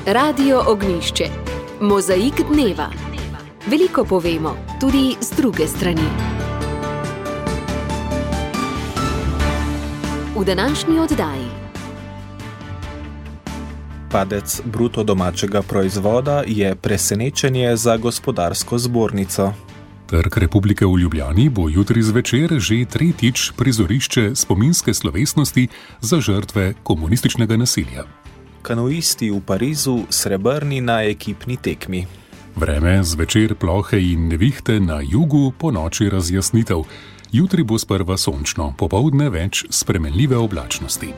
Radio Ognjišče. Mozaik dneva. Veliko povemo, tudi z druge strani. V današnji oddaji. Padec bruto domačega proizvoda je presenečenje za gospodarsko zbornico. Trg Republike v Ljubljani bo jutri zvečer že tretjič prizorišče spominske slovesnosti za žrtve komunističnega nasilja. Kanuisti v Parizu srebrni na ekipni tekmi. Vreme zvečer plohe in nevihte na jugu, po noči razjasnitev. Jutri bo sprva sončno, popoldne več spremenljive oblačnosti.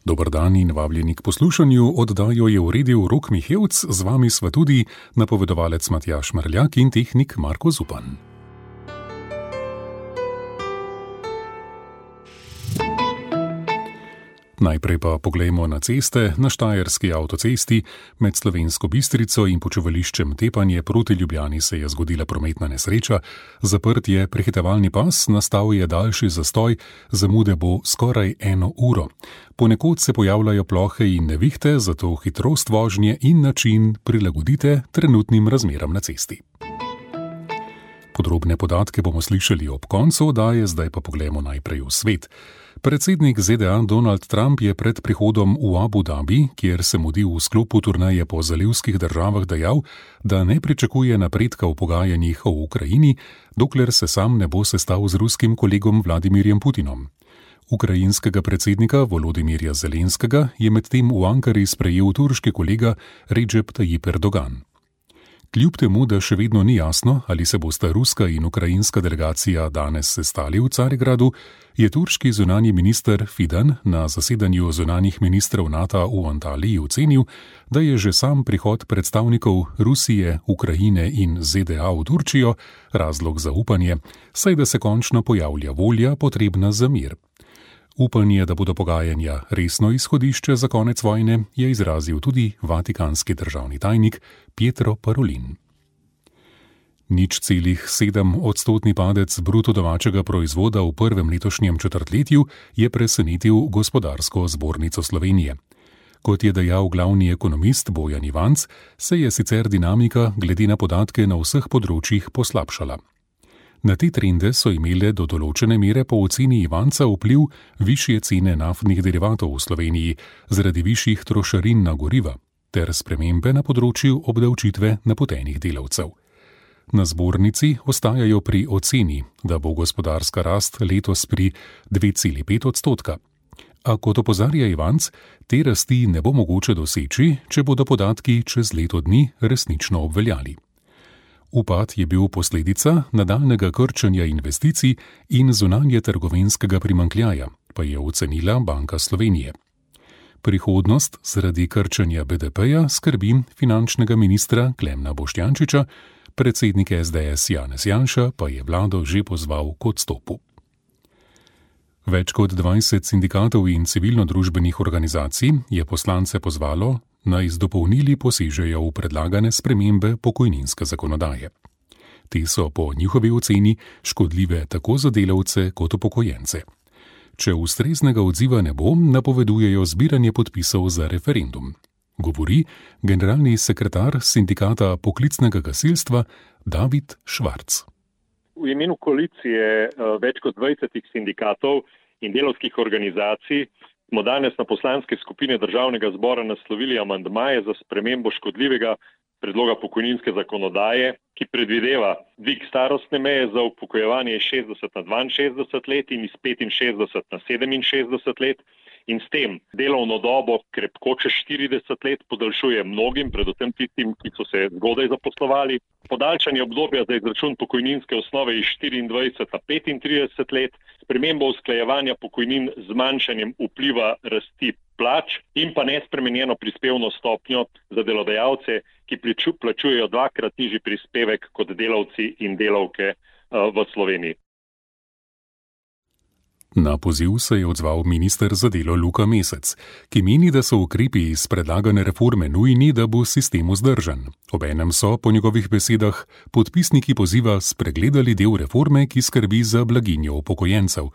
Dober dan in vabljeni k poslušanju. Oddajo je uredil Rok Mihevc, z vami sva tudi napovedovalec Matjaž Mrljak in tehnik Marko Zupan. Najprej pa poglejmo na ceste. Na Štajerski avtocesti med Slovensko Bistrico in počivališčem Tepanje proti Ljubljani se je zgodila prometna nesreča. Zaprt je prehitevalni pas, nastal je daljši zastoj, zamude bo skoraj 1 uro. Ponekod se pojavljajo plohe in nevihte, zato hitrost vožnje in način prilagodite trenutnim razmeram na cesti. Podrobne podatke bomo slišali ob koncu oddaje, zdaj pa poglejmo najprej v svet. Predsednik ZDA Donald Trump je pred prihodom v Abu Dhabi, kjer se mudi v sklopu turneje po zalivskih državah, dejal, da ne pričakuje napredka v pogajanjih o Ukrajini, dokler se sam ne bo sestal z ruskim kolegom Vladimirjem Putinom. Ukrajinskega predsednika Volodimirja Zelenskega je medtem v Ankari sprejel turški kolega Recep Tayyip Erdogan. Kljub temu, da še vedno ni jasno, ali se bosta ruska in ukrajinska delegacija danes sestali v Carigradu, je turški zunanji minister Fidan na zasedanju zunanjih ministrov NATO v Antaliji ocenil, da je že sam prihod predstavnikov Rusije, Ukrajine in ZDA v Turčijo razlog za upanje, saj da se končno pojavlja volja potrebna za mir. Upanje, da bodo pogajanja resno izhodišče za konec vojne, je izrazil tudi vatikanski državni tajnik Pietro Parolin. 0,7% padec bruto domačega proizvoda v prvem letošnjem četrtletju je presenetil gospodarsko zbornico Slovenije. Kot je dejal glavni ekonomist Bojan Ivanc, se je sicer dinamika glede na podatke na vseh področjih poslabšala. Na te trende so imele do določene mere po oceni Ivanca vpliv višje cene naftnih derivatov v Sloveniji zaradi višjih trošarin na goriva ter spremembe na področju obdavčitve napotenih delavcev. Na zbornici ostajajo pri oceni, da bo gospodarska rast letos pri 2,5%. A kot opozarja Ivanc, te rasti ne bo mogoče doseči, če bodo podatki čez leto dni resnično obveljali. Upad je bil posledica nadaljnjega krčenja investicij in zunanje trgovinskega primanjkljaja, pa je ocenila Banka Slovenije. Prihodnost zaradi krčenja BDP-ja skrbi finančnega ministra Klemna Boštjančiča, predsednik SDS Janez Janša pa je vlado že pozval k odstopu. Več kot 20 sindikatov in civilno-družbenih organizacij je poslance pozvalo, naj z dopolnili posežejo v predlagane spremembe pokojninske zakonodaje. Te so po njihovi oceni škodljive tako za delavce kot upokojence. Če ustreznega odziva ne bo, napovedujejo zbiranje podpisov za referendum, govori generalni sekretar sindikata poklicnega gasilstva David Švarc. V imenu koalicije več kot 20 sindikatov in delavskih organizacij smo danes na poslanske skupine Državnega zbora naslovili amandmaje za spremembo škodljivega predloga pokojninske zakonodaje, ki predvideva dvig starostne meje za upokojevanje iz 60 na 62 let in iz 65 na 67 let in s tem delovno dobo krepko čez 40 let podaljšuje mnogim, predvsem tistim, ki so se zgodaj zaposlovali. Podaljšanje obdobja za izračun pokojninske osnove iz 24 na 35 let, spremembo usklajevanja pokojnin z zmanjšanjem vpliva rasti plač in pa nespremenjeno prispevno stopnjo za delodajalce, ki plačujejo 2-krat nižji prispevek kot delavci in delavke v Sloveniji. Na poziv se je odzval minister za delo Luka Mesec, ki meni, da so ukrepi iz predlagane reforme nujni, da bo sistem vzdržen. Obenem so, po njegovih besedah, podpisniki poziva spregledali del reforme, ki skrbi za blaginjo upokojencev.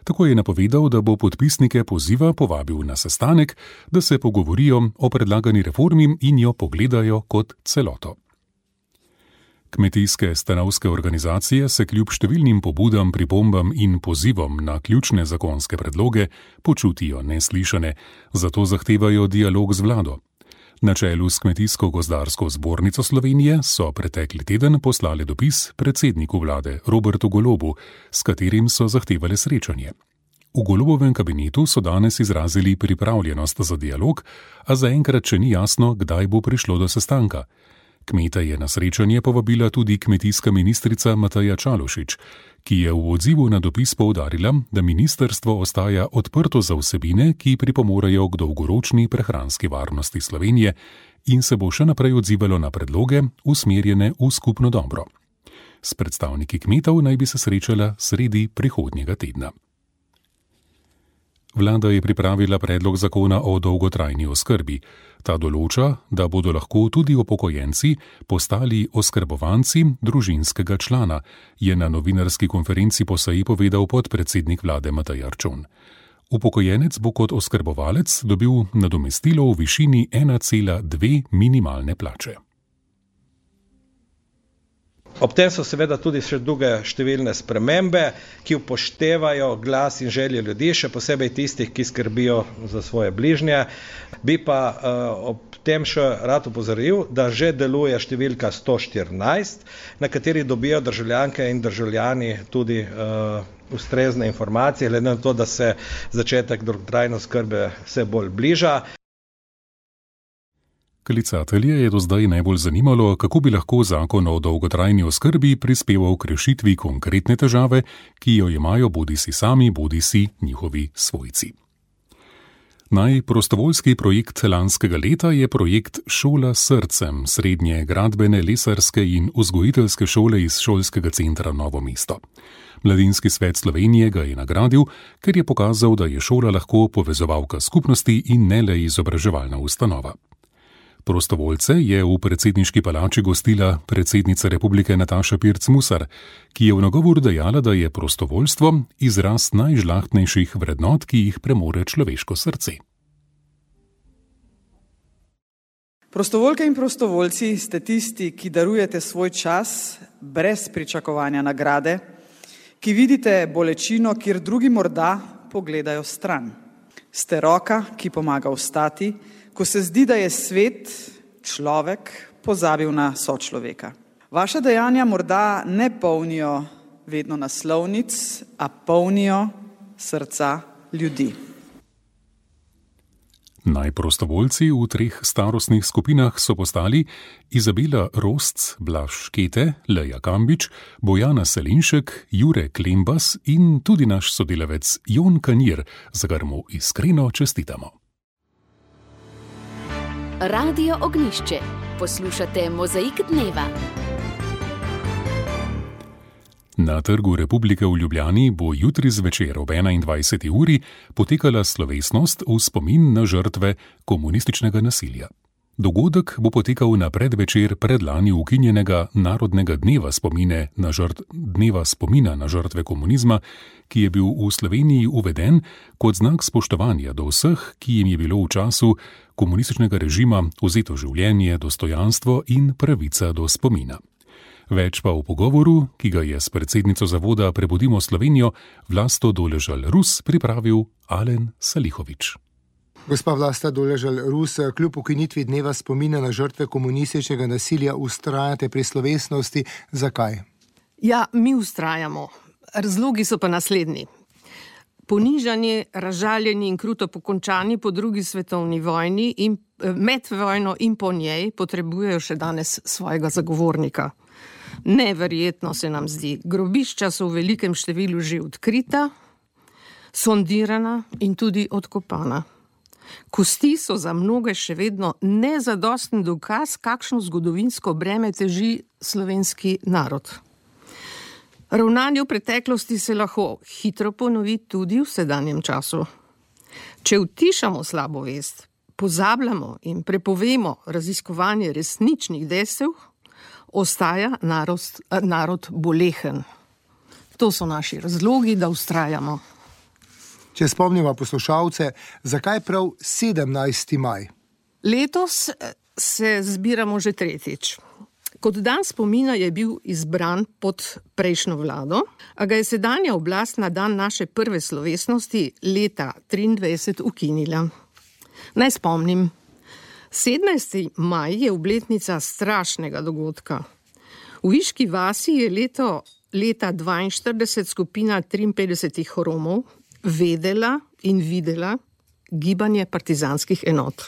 Tako je napovedal, da bo podpisnike poziva povabil na sestanek, da se pogovorijo o predlagani reformi in jo pogledajo kot celoto. Kmetijske stanovske organizacije se kljub številnim pobudam, pripombam in pozivom na ključne zakonske predloge počutijo neslišane, zato zahtevajo dialog z vlado. Na čelu s Kmetijsko-gozdarsko zbornico Slovenije so pretekli teden poslali dopis predsedniku vlade Robertu Golobu, s katerim so zahtevali srečanje. V Golobovem kabinetu so danes izrazili pripravljenost za dialog, a zaenkrat še ni jasno, kdaj bo prišlo do sestanka. Kmeta je na srečanje povabila tudi kmetijska ministrica Mateja Čalušić, ki je v odzivu na dopis poudarila, da ministrstvo ostaja odprto za vsebine, ki pripomorejo k dolgoročni prehranski varnosti Slovenije in se bo še naprej odzivalo na predloge, usmerjene v skupno dobro. S predstavniki kmetov naj bi se srečala sredi prihodnjega tedna. Vlada je pripravila predlog zakona o dolgotrajni oskrbi. Ta določa, da bodo lahko tudi upokojenci postali oskrbovanci družinskega člana, je na novinarski konferenci po seji povedal podpredsednik vlade Matej Arčon. Upokojenec bo kot oskrbovalec dobil nadomestilo v višini 1,2 minimalne plače. Ob tem so seveda tudi še druge številne spremembe, ki upoštevajo glas in želje ljudi, še posebej tistih, ki skrbijo za svoje bližnje. Bi pa ob tem še rad opozoril, da že deluje številka 114, na kateri dobijo državljanke in državljani tudi ustrezne informacije, glede na to, da se začetek dolgotrajne oskrbe vse bolj bliža. Klicatelje je do zdaj najbolj zanimalo, kako bi lahko zakon o dolgotrajni oskrbi prispeval k rešitvi konkretne težave, ki jo imajo bodisi sami, bodisi njihovi svojci. Najprostovoljski projekt lanskega leta je projekt Šola s srcem, srednje gradbene, lesarske in vzgojiteljske šole iz šolskega centra Novo mesto. Mladinski svet Slovenije ga je nagradil, ker je pokazal, da je šola lahko povezovalka skupnosti in ne le izobraževalna ustanova. Prostovoljce je v predsedniški palači gostila predsednica republike Nataša Pirc Musar, ki je v nagovoru dejala, da je prostovoljstvo izraz najžlahtnejših vrednot, ki jih premore človeško srce. Prostovoljke in prostovoljci ste tisti, ki darujete svoj čas brez pričakovanja nagrade, ki vidite bolečino, kjer drugi morda pogledajo stran. Ste roka, ki pomaga vstati, ko se zdi, da je svet, človek, pozabil na sočloveka. Vaša dejanja morda ne polnijo vedno naslovnic, a polnijo srca ljudi. Najprostovoljci v 3 starostnih skupinah so postali Izabela Rosc, Blaž Škete, Leja Kambič, Bojana Selinšek, Jure Klembas in tudi naš sodelavec Jon Kanjir, za kar mu iskreno čestitamo. Radio Ognjišče. Poslušate Mozaik dneva. Na Trgu Republike v Ljubljani bo jutri zvečer ob 21. uri potekala slovesnost v spomin na žrtve komunističnega nasilja. Dogodek bo potekal na predvečer predlani ukinjenega Narodnega dneva spomina na žrtve komunizma, ki je bil v Sloveniji uveden kot znak spoštovanja do vseh, ki jim je bilo v času komunističnega režima vzeto življenje, dostojanstvo in pravica do spomina. Več pa v pogovoru, ki ga je s predsednico zavoda Prebudimo Slovenijo Vlasto Doležal-Rus pripravil Alen Salihovič. Gospa Vlasta Doležal-Rus, kljub ukinitvi dneva spomina na žrtve komunističnega nasilja vztrajate pri slovesnosti. Zakaj? Ja, mi vztrajamo. Razlogi so pa naslednji. Ponižanje, razžaljeni in kruto pokončani po drugi svetovni vojni in med vojno in po njej potrebujejo še danes svojega zagovornika. Neverjetno se nam zdi. Grobišča so v velikem številu že odkrita, sondirana in tudi odkopana. Kosti so za mnoge še vedno nezadosten dokaz, kakšno zgodovinsko breme teži slovenski narod. Ravnanje v preteklosti se lahko hitro ponovi tudi v sedanjem času. Če utišamo slabo vest, pozabljamo in prepovemo raziskovanje resničnih dejstev, ostaja narod bolehen. To so naši razlogi, da vztrajamo. Če spomnimo poslušalce, zakaj prav 17. maj? Letos se zbiramo že tretjič. Kot dan spomina je bil izbran pod prejšnjo vlado, a ga je sedanja oblast na dan naše prve slovesnosti leta 23 ukinila. Naj spomnim, 17. maj je obletnica strašnega dogodka. V Viški vasi je leta 42 skupina 53 Romov vedela in videla gibanje partizanskih enot.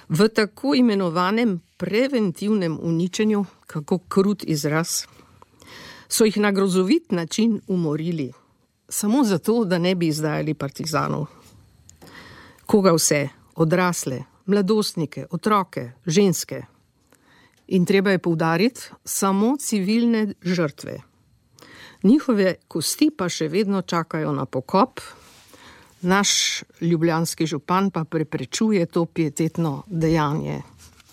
V tako imenovanem preventivnem uničenju, kako krut izraz, so jih na grozovit način umorili, samo zato, da ne bi izdajali partizanov. Koga vse? Odrasle, mladostnike, otroke, ženske. In treba je poudariti, samo civilne žrtve. Njihove kosti pa še vedno čakajo na pokop. Naš ljubljanski župan pa preprečuje to pietetno dejanje.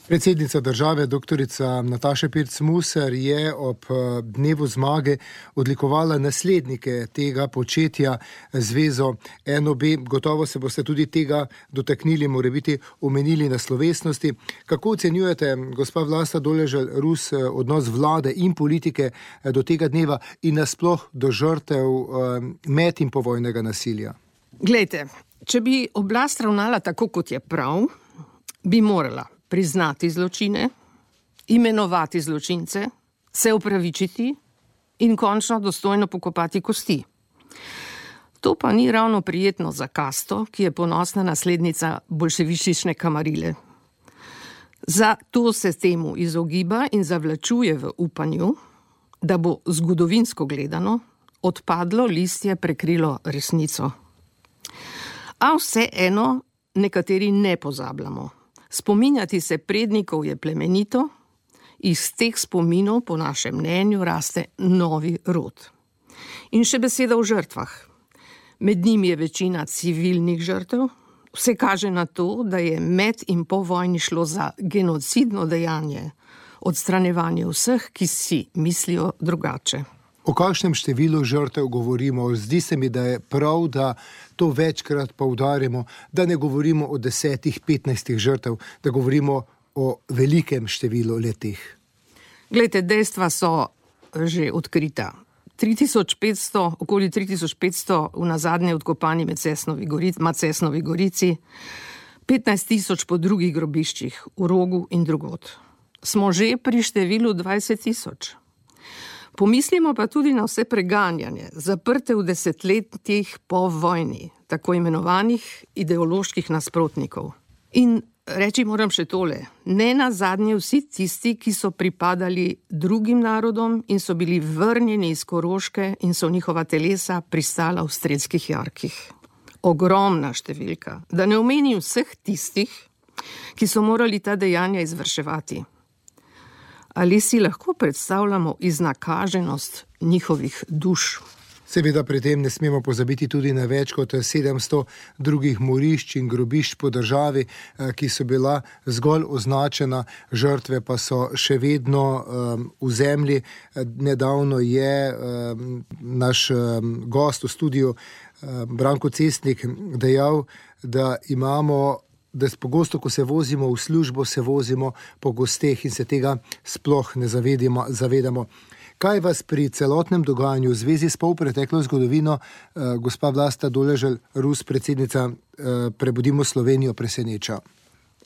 Predsednica države, doktorica Nataša Pirc Musar, je ob dnevu zmage odlikovala naslednike tega početja zvezo NOB. Gotovo se boste tudi tega dotaknili, morebiti omenili na slovesnosti. Kako ocenjujete, gospa Vlasta Doležal Rus, odnos vlade in politike do tega dneva in nasploh do žrtev med in povojnega nasilja? Glejte, če bi oblast ravnala tako, kot je prav, bi morala priznati zločine, imenovati zločince, se opravičiti in končno dostojno pokopati kosti. To pa ni ravno prijetno za kasto, ki je ponosna naslednica bolševistične kamarile. Zato se temu izogiba in zavlačuje v upanju, da bo zgodovinsko gledano odpadlo listje prekrilo resnico. A vseeno nekateri ne pozabljamo. Spominjati se prednikov je plemenito, iz teh spominov po našem mnenju raste novi rod. In še beseda o žrtvah. Med njimi je večina civilnih žrtev. Vse kaže na to, da je med in po vojni šlo za genocidno dejanje, odstranjevanje vseh, ki si mislijo drugače. O kakšnem številu žrtev govorimo? Zdi se mi, da je prav, da to večkrat poudarimo, da ne govorimo o 10-15 žrtev, da govorimo o velikem številu letih. Glejte, dejstva so že odkrita. 3500, okoli 3500 v nazadnje odkopani Macesnovi gorici, 15 000 po drugih grobiščih v Rogu in drugod. Smo že pri številu 20 000. Pomislimo pa tudi na vse preganjanje, zaprte v desetletjih po vojni, tako imenovanih ideoloških nasprotnikov. In reči moram še tole, ne nazadnje vsi tisti, ki so pripadali drugim narodom in so bili vrnjeni iz Koroške in so njihova telesa pristala v strelskih jarkih. Ogromna številka, da ne omenim vseh tistih, ki so morali ta dejanja izvrševati. Ali si lahko predstavljamo iznakaženost njihovih duš? Seveda pri tem ne smemo pozabiti tudi na več kot 700 drugih morišč in grobišč po državi, ki so bila zgolj označena, žrtve pa so še vedno v zemlji. Nedavno je naš gost v studiu, Branko Cestnik, dejal, da pogosto, ko se vozimo v službo, se vozimo po gosteh in se tega sploh ne zavedamo. Kaj vas pri celotnem dogajanju v zvezi s polpreteklo zgodovino, gospa Vlasta Doležal Rus, predsednica Prebudimo Slovenijo, preseneča?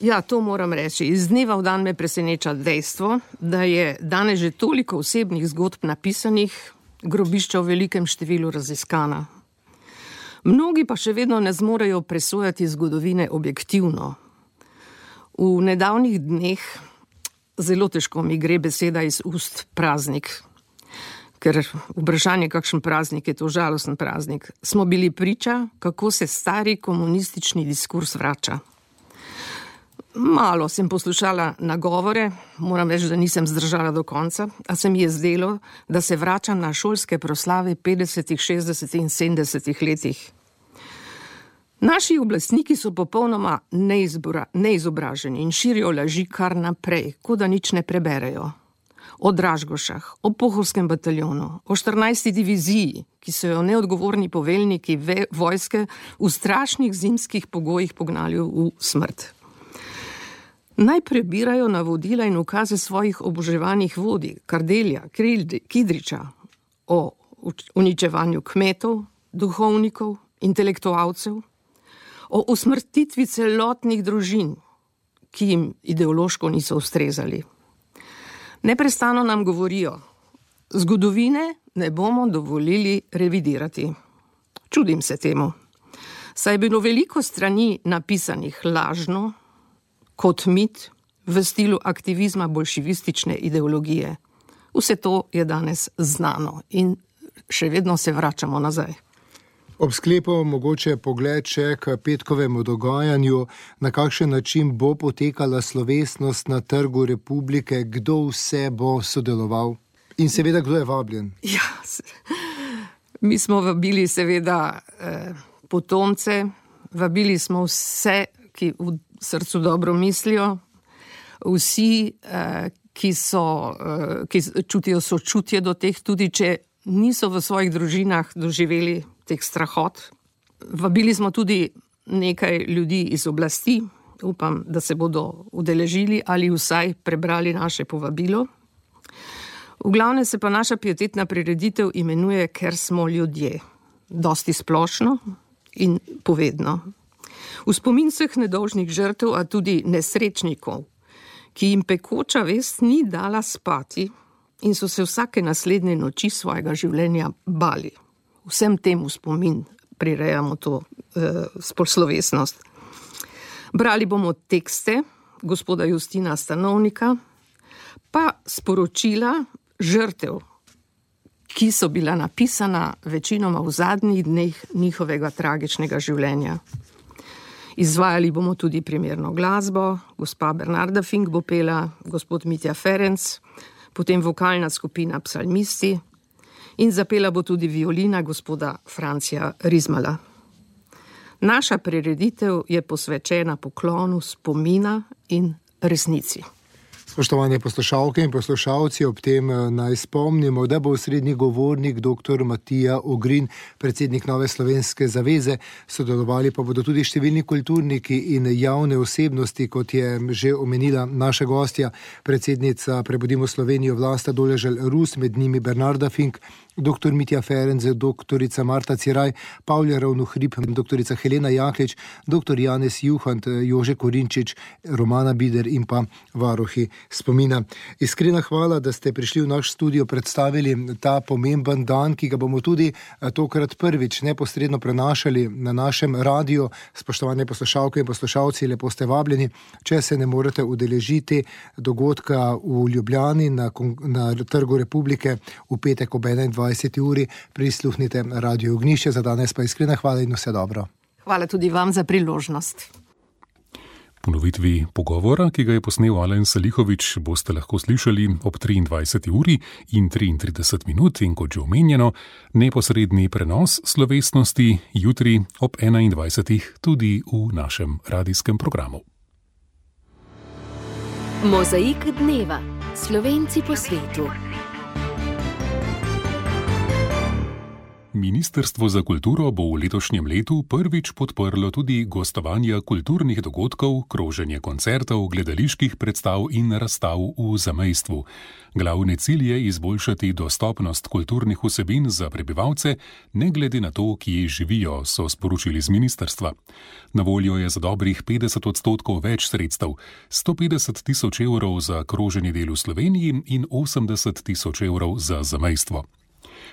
Ja, to moram reči. Iz dneva v dan me preseneča dejstvo, da je danes že toliko osebnih zgodb napisanih, grobišča v velikem številu raziskana. Mnogi pa še vedno ne zmorejo presojati zgodovine objektivno. V nedavnih dneh zelo težko mi gre beseda iz ust praznik, ker vprašanje, kakšen praznik je to, žalosten praznik. Smo bili priča, kako se stari komunistični diskurs vrača. Malo sem poslušala nagovore, moram reči, da nisem zdržala do konca, a se mi je zdelo, da se vračam na šolske proslave 50., 60. in 70. letih. Naši oblastniki so popolnoma neizobraženi in širijo laži kar naprej, kot da nič ne preberejo. o Dražgošah, o Pohorskem bataljonu, o 14. diviziji, ki so jo neodgovorni poveljniki vojske v strašnih zimskih pogojih pognali v smrt. Naj prebirajo navodila in ukaze svojih oboževanih vodij, Kardelja, Kidriča, o uničevanju kmetov, duhovnikov, intelektualcev, o usmrtitvi celotnih družin, ki jim ideološko niso ustrezali. Neprestano nam govorijo, zgodovine ne bomo dovolili revidirati. Čudim se temu, saj je bilo veliko strani napisanih lažno, kot mit, v stilu aktivizma bolševistične ideologije. Vse to je danes znano in še vedno se vračamo nazaj. Ob sklepu mogoče pogled še k petkovemu dogajanju, na kakšen način bo potekala slovesnost na Trgu Republike, kdo vse bo sodeloval in seveda kdo je vabljen. Ja, mi smo vabili seveda potomce, vabili smo vse, ki v srcu dobro mislijo, vsi, ki čutijo sočutje do teh, tudi če niso v svojih družinah doživeli teh strahot. Vabili smo tudi nekaj ljudi iz oblasti, upam, da se bodo udeležili ali vsaj prebrali naše povabilo. V glavnem se pa naša pietetna prireditev imenuje Ker smo ljudje. Dosti splošno in povedno. V spomin vseh nedolžnih žrtev, a tudi nesrečnikov, ki jim pekoča vest ni dala spati in so se vsake naslednje noči svojega življenja bali. Vsem temu spomin prirejamo to slovesnost. Brali bomo tekste gospoda Justina Stanovnika, pa sporočila žrtev, ki so bila napisana večinoma v zadnjih dneh njihovega tragičnega življenja. Izvajali bomo tudi primerno glasbo, gospa Bernarda Fink bo pela, gospod Mitja Ferenc, potem vokalna skupina Psalmisti in zapela bo tudi violina gospoda Francija Rizmala. Naša prireditev je posvečena poklonu spomina in resnici. Spoštovane poslušalke in poslušalci, ob tem naj spomnimo, da bo osrednji govornik dr. Matija Ogrin, predsednik Nove slovenske zaveze, sodelovali pa bodo tudi številni kulturniki in javne osebnosti, kot je že omenila naša gostja, predsednica Prebudimo Slovenijo Vlasta Doležal Rus, med njimi Bernarda Fink, dr. Mitja Ferenc, dr. Marta Ciraj, Pavle Ravnohrib, dr. Helena Jaklič, dr. Janez Juhant, Jože Korinčič, Romana Bider in pa varuhi spomina. Iskrena hvala, da ste prišli v naš studio, predstavili ta pomemben dan, ki ga bomo tudi tokrat prvič neposredno prenašali na našem radiju. Spoštovane poslušalke in poslušalci, lepo ste vabljeni. Če se ne morete udeležiti dogodka v Ljubljani na Trgu Republike v petek ob 21. uri, prisluhnite Radio Ognjišče. Za danes pa iskrena hvala in vse dobro. Hvala tudi vam za priložnost. Ponovitvi pogovora, ki ga je posnel Alen Salihovič, boste lahko slišali ob 23. uri in 33 minut in kot že omenjeno, neposredni prenos slovesnosti jutri ob 21. tudi v našem radijskem programu. Mozaik dneva. Slovenci po svetu. Ministrstvo za kulturo bo v letošnjem letu prvič podprlo tudi gostovanja kulturnih dogodkov, kroženje koncertov, gledaliških predstav in razstav v zamejstvu. Glavni cilj je izboljšati dostopnost kulturnih vsebin za prebivalce, ne glede na to, kje živijo, so sporočili z ministrstva. Na voljo je za dobrih 50% več sredstev, 150 000 evrov za kroženje del v Sloveniji in 80 000 evrov za zamejstvo.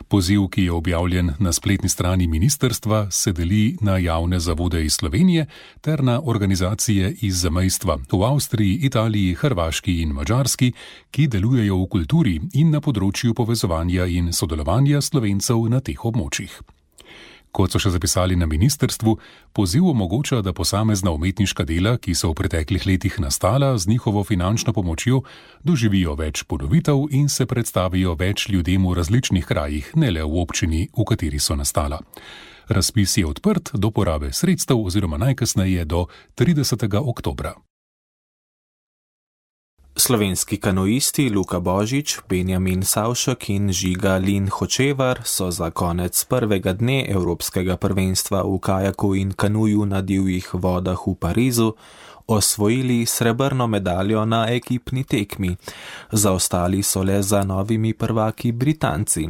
Poziv, ki je objavljen na spletni strani ministrstva, se deli na javne zavode iz Slovenije ter na organizacije iz zamejstva v Avstriji, Italiji, Hrvaški in Madžarski, ki delujejo v kulturi in na področju povezovanja in sodelovanja Slovencev na teh območjih. Kot so še zapisali na ministrstvu, poziv omogoča, da posamezna umetniška dela, ki so v preteklih letih nastala z njihovo finančno pomočjo, doživijo več ponovitev in se predstavijo več ljudem v različnih krajih, ne le v občini, v kateri so nastala. Razpis je odprt do porabe sredstev oziroma najkasneje do 30. oktobra. Slovenski kanuisti Luka Božič, Benjamin Savšek in Žiga Lin Hočevar so za konec prvega dne Evropskega prvenstva v kajaku in kanuju na divjih vodah v Parizu osvojili srebrno medaljo na ekipni tekmi. Zaostali so le za novimi prvaki Britanci.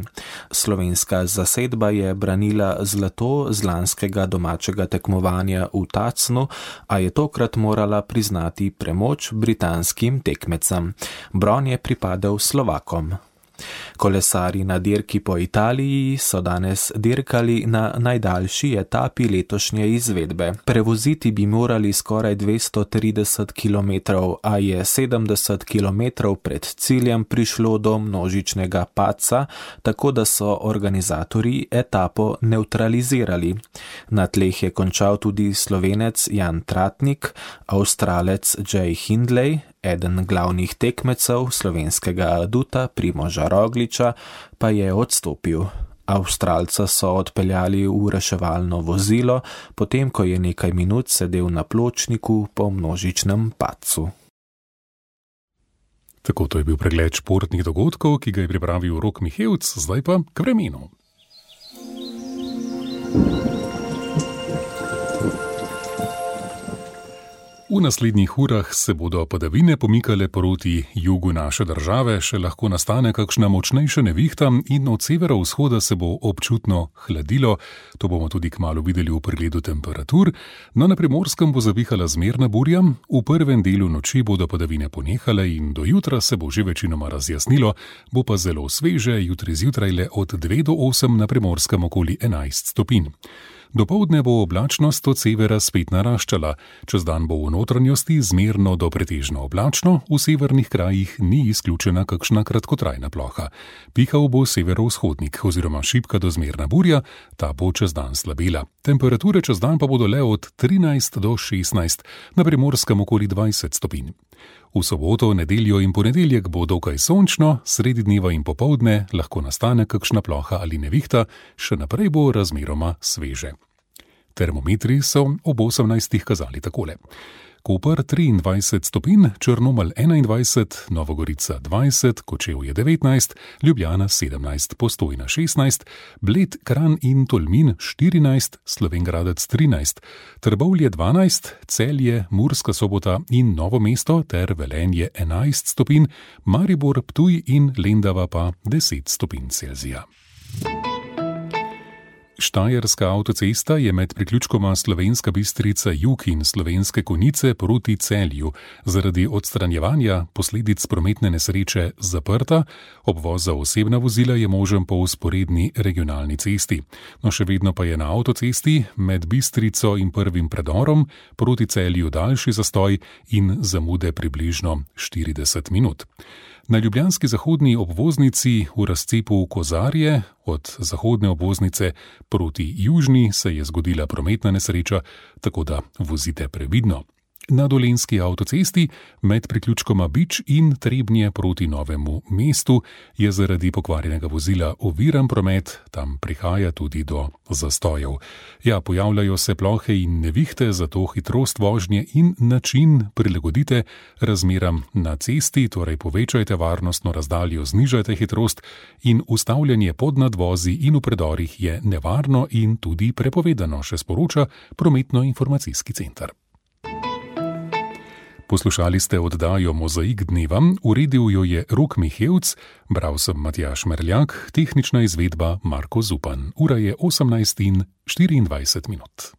Slovenska zasedba je branila zlato z lanskega domačega tekmovanja v Tacnu, a je tokrat morala priznati premoč britanskim tekmecem. Bron je pripadel Slovakom. Kolesarji na dirki po Italiji so danes dirkali na najdaljši etapi letošnje izvedbe. Prevoziti bi morali skoraj 230 km, a je 70 km pred ciljem prišlo do množičnega padca, tako da so organizatorji etapo nevtralizirali. Na tleh je končal tudi Slovenec Jan Tratnik, Avstralec Jay Hindley, eden glavnih tekmecev slovenskega aduta Primoža Rogliča pa je odstopil. Avstralca so odpeljali v reševalno vozilo, potem ko je nekaj minut sedel na pločniku po množičnem padcu. Tako to je bil pregled športnih dogodkov, ki ga je pripravil Rok Mihevc, zdaj pa k vremenu. V naslednjih urah se bodo padavine pomikale proti jugu naše države, še lahko nastane kakšna močnejša nevihta in od severovzhoda se bo občutno hladilo. To bomo tudi kmalu videli v pregledu temperatur. No, na Primorskem bo zavihala zmerna burja, v prvem delu noči bodo padavine ponehale in do jutra se bo že večinoma razjasnilo, bo pa zelo sveže, jutri zjutraj le od 2 do 8, na Primorskem okoli 11 stopinj. Dopoldne bo oblačnost od severa spet naraščala, čez dan bo v notranjosti zmerno do pretežno oblačno, v severnih krajih ni izključena kakšna kratkotrajna ploha. Pihal bo severovzhodnik oziroma šibka do zmerna burja, ta bo čez dan slabela. Temperature čez dan pa bodo le od 13 do 16, na Primorskem okoli 20 stopinj. V soboto, nedeljo in ponedeljek bo dokaj sončno, sredi dneva in popoldne lahko nastane kakšna ploha ali nevihta, še naprej bo razmeroma sveže. Termometri so ob 18 kazali takole. Koper 23 stopinj, Črnomelj 21, Novogorica 20, Kočevje 19, Ljubljana 17, Postojna 16, Bled, Kranj in Tolmin 14, Slovenj Gradec 13, Trbovlje 12, Celje, Murska Sobota in Novo mesto ter Velenje 11 stopinj, Maribor, Ptuj in Lendava pa 10 stopinj Celzija. Štajerska avtocesta je med priključkoma Slovenska Bistrica jug in Slovenske Konjice proti Celju zaradi odstranjevanja posledic prometne nesreče zaprta, obvoz za osebna vozila je možen po vzporedni regionalni cesti. No, še vedno pa je na avtocesti med Bistrico in prvim predorom proti Celju daljši zastoj in zamude približno 40 minut. Na ljubljanski zahodni obvoznici v razcepu Kozarje od zahodne obvoznice proti južni se je zgodila prometna nesreča, tako da vozite previdno. Na dolenjski avtocesti med priključkoma Bič in Trebnje proti Novemu mestu je zaradi pokvarjenega vozila oviran promet, tam prihaja tudi do zastojev. Ja, pojavljajo se plohe in nevihte, zato hitrost vožnje in način prilagodite razmeram na cesti, torej povečajte varnostno razdaljo, znižajte hitrost in ustavljanje pod nadvozi in v predorih je nevarno in tudi prepovedano, še sporoča Prometno-informacijski center. Poslušali ste oddajo Mozaik dneva, uredil jo je Rok Mihevc, bral sem Matjaž Merljak, tehnična izvedba Marko Zupan. Ura je 18:24 minut.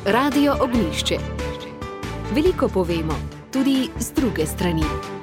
Radio Ognjišče. Veliko povemo, tudi z druge strani.